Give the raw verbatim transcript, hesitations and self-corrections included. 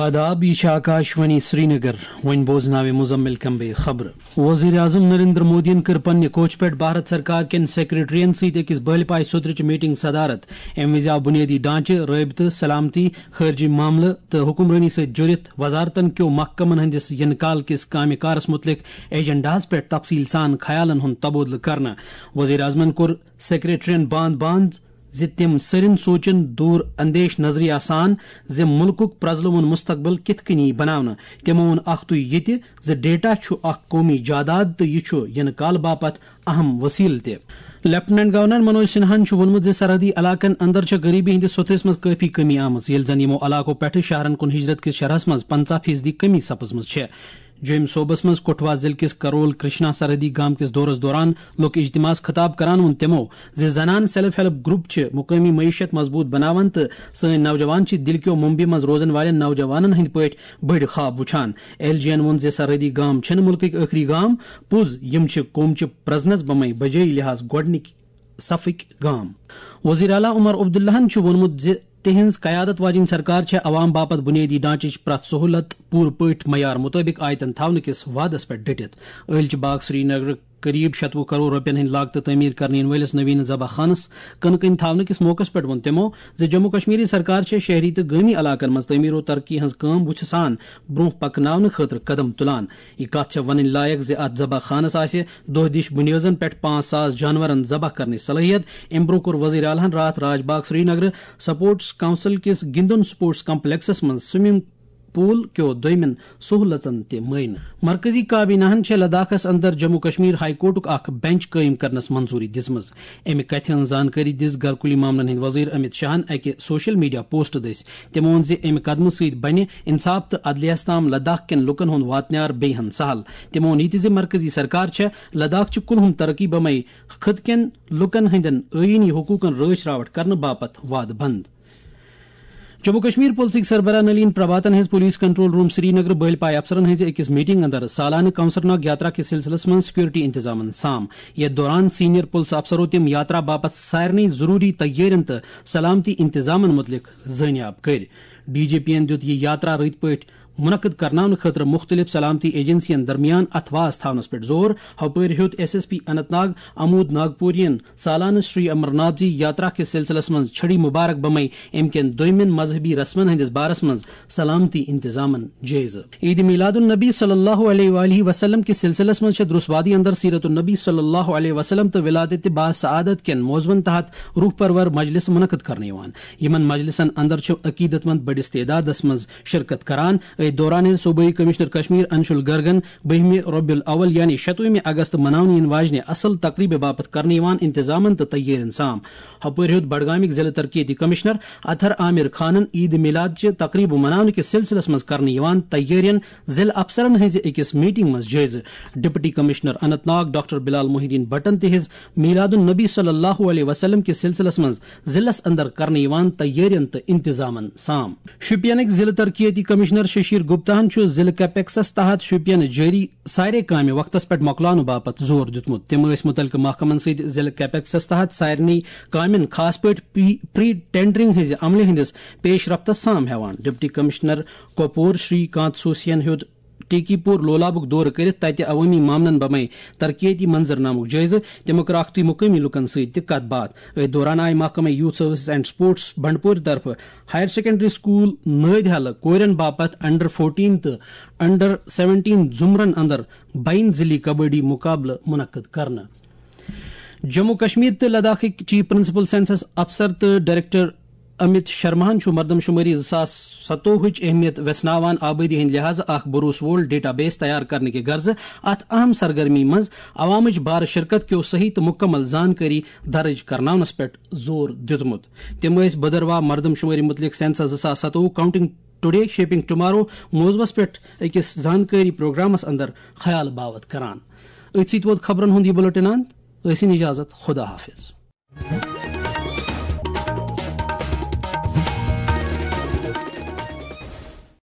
آداب، یہِ چھِ آکاش وانی سرینگر۔ وۄنۍ بوزناوِ مزمل کمبے خبرٕ۔ وزیر اعظم نریندر مودیَن کٔر پننہِ کوچہِ پٮ۪ٹھ بھارت سرکار کٮ۪ن سیکرٹریَن سۭتۍ أکِس بٲلۍ پایہِ سوٚدرٕچہِ میٹنگ صدارت۔ اَمہِ وِزِ آو بُنیٲدی ڈھانچہٕ، رٲبطہٕ، سلامتی، خارجی معاملہٕ تہٕ حکمرٲنی سۭتۍ جُڑِتھ وزارتن کیو محکمن ہٕنٛدِس یِنہٕ کال کِس کامہِ کارس مُتعلق ایجنڈاہَس پٮ۪ٹھ تفصیل سان خیالن ہُنٛد تبادلہٕ کرنہٕ۔ وزیر اعظمَن کوٚر سیکرٹریَن باند باند زِ تِم سٔرِن سونچن دور اندیش نظریہ سان زِ مُلکُک پرٛزلوُن مستقبل کِتھ کٔنۍ یِیہِ بناونہٕ۔ تِمو ووٚن اکھ تُے یہِ تہِ زِ ڈیٹا چھُ اکھ قومی جاداد تہٕ یہِ چھُ یِنہٕ کالہٕ باپتھ اہم وسیلہٕ تہِ۔ لیفٹیننٹ گورنر منوج سنہاہن چھُ ووٚنمُت زِ سرحدی علاقن اندر چھےٚ غریبی ہٕنٛدِس سوٚتھرِس منٛز کٲفی کمی آمٕژ، ییٚلہِ زن یِمو علاقو پٮ۪ٹھٕ شہرن کُن ہجرت کِس شرحس منٛز پنژاہ فیصدی کمی سپٕزمٕژ چھےٚ۔ جوٚمۍ صوبس منٛز کٹھوا ضلعہٕ کِس کرول کرشنا سرحدی گام کِس دورس دوران لوٚک اجتماعس خطاب کران ووٚن تِمو زِ زنان سیلف ہیلپ گروپ چھِ مقٲمی معیشت مضبوط بناوان تہٕ سٲنۍ نوجوان چھِ دِلہِ کیو ممبیہِ منٛز روزن والٮ۪ن نوجوانن ہٕنٛدۍ پٲٹھۍ بٔڑۍ خواب وُچھان۔ ایل جی ین ووٚن زِ سرحدی گام چھِنہٕ مُلکٕکۍ ٲخری گام، پوٚز یِم چھِ قومچہِ پرزنس بمے بجٲے لحاظ گۄڈٕنِکۍ صفٕکۍ گام۔ وزیر اعلیٰ عمر عبداللہن چھُ ووٚنمُت زِ تِہنٛز قیادت واجیٚنۍ سرکار چھےٚ عوام باپتھ بُنیٲدی ڈھانچٕچ پرٛٮ۪تھ سہولت پوٗرٕ پٲٹھۍ معیار مُطٲبِق آیتن تھاونہٕ کِس وعدس پٮ۪ٹھ ڈٔٹِتھ۔ ٲلچہِ باغ سرینگرٕ قریب شتوُہ کرور رۄپین ہٕنٛدِ لاگتہٕ تعمیٖر کرنہٕ یِنہٕ وٲلِس نویٖن ذبح خانس کٕنہٕ کٔنۍ تھاونہٕ کِس موقعس پٮ۪ٹھ ووٚن تِمو زِ جموں کشمیری سرکار چھےٚ شہری تہٕ گٲمی علاقن منٛز تعمیٖر و ترقی ہٕنٛز کٲم وُژھِ سان برونٛہہ پکناونہٕ خٲطرٕ قدم تُلان۔ یہِ کتھ چھےٚ ونٕنۍ لایق زِ اتھ ذبح خانس آسہِ دۄہ دِش بُنیٲزن پٮ۪ٹھ پانٛژھ ساس جانورن ذبح کرنٕچ صلٲحیت۔ امہِ برونٛہہ کوٚر وزیر اعلیٰ ہن راتھ راج باغ سرینگرٕ سپورٹس کونسل کِس گِندُن سپورٹس کمپلیکسس منٛز سوئمنگ پول کیو دوٚیمٮ۪ن سہولژن تہِ معائنہٕ۔ مرکزی کابینہ ہن چھےٚ لداخس اندر جموں کشمیر ہائی کورٹُک اکھ بینچ قٲیِم کرنس منظوری دِژمٕژ۔ امہِ کتھِ ہٕنٛز زانکٲری دِژ گرکوٗلی معاملن ہٕنٛدۍ وزیر امت شاہن اکہِ سوشل میڈیا پوسٹ دٔسۍ۔ تٔمۍ ووٚن زِ امہِ قدمہٕ سۭتۍ بنہِ انصاف تہٕ عدلیس تام لداخ کٮ۪ن لوٗکن ہُنٛد واتنیار بیٚیہِ ہن سہل۔ تٔمۍ ووٚن یہِ تہِ زِ مرکزی سرکار چھےٚ لداخ چہِ کُلہُم ترقی بمے خطہٕ کٮ۪ن لوٗکن ہٕنٛدٮ۪ن ٲیٖنی حقوٗقن رٲچھ راوٹھ کرنہٕ باپتھ وعدٕ بنٛد۔ جموں کشمیر پُلسٕکۍ سربراہ Nalin پربھاتن ہیٚژ police control room Srinagar بٲلۍ پایہِ افسرن ہٕنٛزِ أکِس میٹنگ اندر سالانہٕ کونسرناگ یاترا کِس سلسلس منٛز سیکورٹی انتظامن سام۔ یتھ دوران سینئر پُلسہٕ افسرو تِم یاترا باپتھ سارنٕے ضروٗری تیٲرین تہٕ سلامتی انتظامن مُتعلق زٲنیاب کٔرۍ۔ ڈی جی پی ین دِیُت یہِ یاترا رٕتۍ پٲٹھۍ منعقد کرناونہٕ خٲطرٕ مُختٔلِف سلامتی ایجنسین درمیان اتھہٕ واس تھاونس پٮ۪ٹھ زور۔ ہۄپٲرۍ ہیوٚت S S P Anant Nag امود ناگپوریَن سالانہٕ شری امرناتھ جی یاترا کِس سلسلس منٛز چھڑی مبارک بمے امہِ کٮ۪ن دوٚیمٮ۪ن مذہبی رسمن ہٕنٛدِس بارس منٛز سلامتی انتظامن جٲیزٕ۔ عید میلاد النبی صلی اللہ علیہ وآلہ وسلم کِس سلسلس منٛز چھےٚ درُس وادی اندر سیرت النبی صلی اللہ علیہ وسلم تہٕ ولادت با سعادت کٮ۪ن موضوعن تحت روح پرور مجلس منعقد کرنہٕ یِوان۔ یِمن مجلسن اندر چھِ عقیدت مند بٔڑِس تعدادس منٛز شرکت کران۔ أتھۍ دوران ہیٚژ صوبٲئی کمشنر کشمیر انشول گرگن بٔہمہِ ربیع الاول یعنی شتوُہمہِ اگست مناونہٕ یِنہٕ واجنہِ اصل تقریبہِ باپتھ کرنہٕ یِوان انتظامن تہٕ تیٲرین سام۔ ہۄپٲرۍ ہیوٚت بڈگامٕکۍ ضلعہٕ ترقیتی کمشنر اطہر عامر خانن عید میلاد چہِ تقریبہٕ مناونہٕ کِس سلسلس منٛز کرنہٕ یِوان تیٲرین ضلعہٕ افسرن ہٕنٛزِ أکِس میٹنگ منٛز جٲیزٕ۔ Deputy commissioner Anant Nag doctor بلال محی الدین بٹن تہِ ہیٚژ میلاد النبی صلی اللہ علیہ وسلم کِس سلسلس منٛز ضلعس اندر کرنہٕ یِوان تیٲرین تہٕ انتظامن سام۔ شوپینٕکۍ ضلعہٕ ترقیتی کمشنر ششیر گپتاہن چھُ ضلعہٕ کیپیکسس تحت شوپینہٕ جٲری سارے کامہِ وقتس پٮ۪ٹھ مۄکلاونہٕ باپتھ زور دیُتمُت۔ تٔمۍ ٲسۍ مُتعلقہٕ محکمن سۭتۍ ضلعہٕ کیپیکسس تحت سارنٕے کامٮ۪ن، خاص پٲٹھۍ پری، پری ٹینڈرنگ ہٕنٛزِ عملہِ ہٕنٛدِس پیش رفتس سام ہٮ۪وان۔ ڈپٹی کمشنر کۄپور شری کانت سوسین ہیوٚت ٹیکی پور لولابُک دورٕ کٔرِتھ تتہِ عوٲمی معاملن بمے ترقیتی منظرنامُک جٲیزٕ۔ تِمو کٔر اکھتُے مقٲمی لوٗکن سۭتۍ تہِ کتھ باتھ۔ أتھۍ دوران آیہِ محکمہٕ یوتھ سروسز اینڈ سپورٹس بنڈپورِ طرفہٕ ہایر سیکنڈری سکول نٲدۍ ہلہٕ کورٮ۪ن باپتھ انڈر فورٹین تہٕ انڈر سیونٹین زمرن اندر بین ضلعی کبڈی مقابلہٕ منعقد کرنہٕ۔ جموں کشمیر تہٕ لداخٕکۍ چیف پرنسپل سینسس افسر تہٕ ڈائریکٹر امت شرماہن چھُ مردم شمٲری زٕ ساس ستووُہٕچ اہمیت ویژھناوان آبٲدی ہٕنٛدِ لحاظہٕ اکھ بھروسہٕ وول ڈیٹا بیس تیار کرنہٕ کہِ غرضہٕ اتھ اہم سرگرمی منٛز عوامٕچ بار شرکت کیو صحیح تہٕ مکمل زانکٲری درج کرناونس پٮ۪ٹھ زور دیُتمُت۔ تِم ٲسۍ بھدرواہ مردم شمٲری متعلق سینسس زٕ ساس ستووُہ کاؤنٹنگ ٹوڈے شیپنگ ٹمارو موضوعس پٮ۪ٹھ أکِس زانکٲری پروگرامس اندر خیال باوت کران۔ أتھۍ سۭتۍ ووت خبرن ہُنٛد یہِ بلیٹن اند۔ ٲسِن اجازت، خدا حافظ۔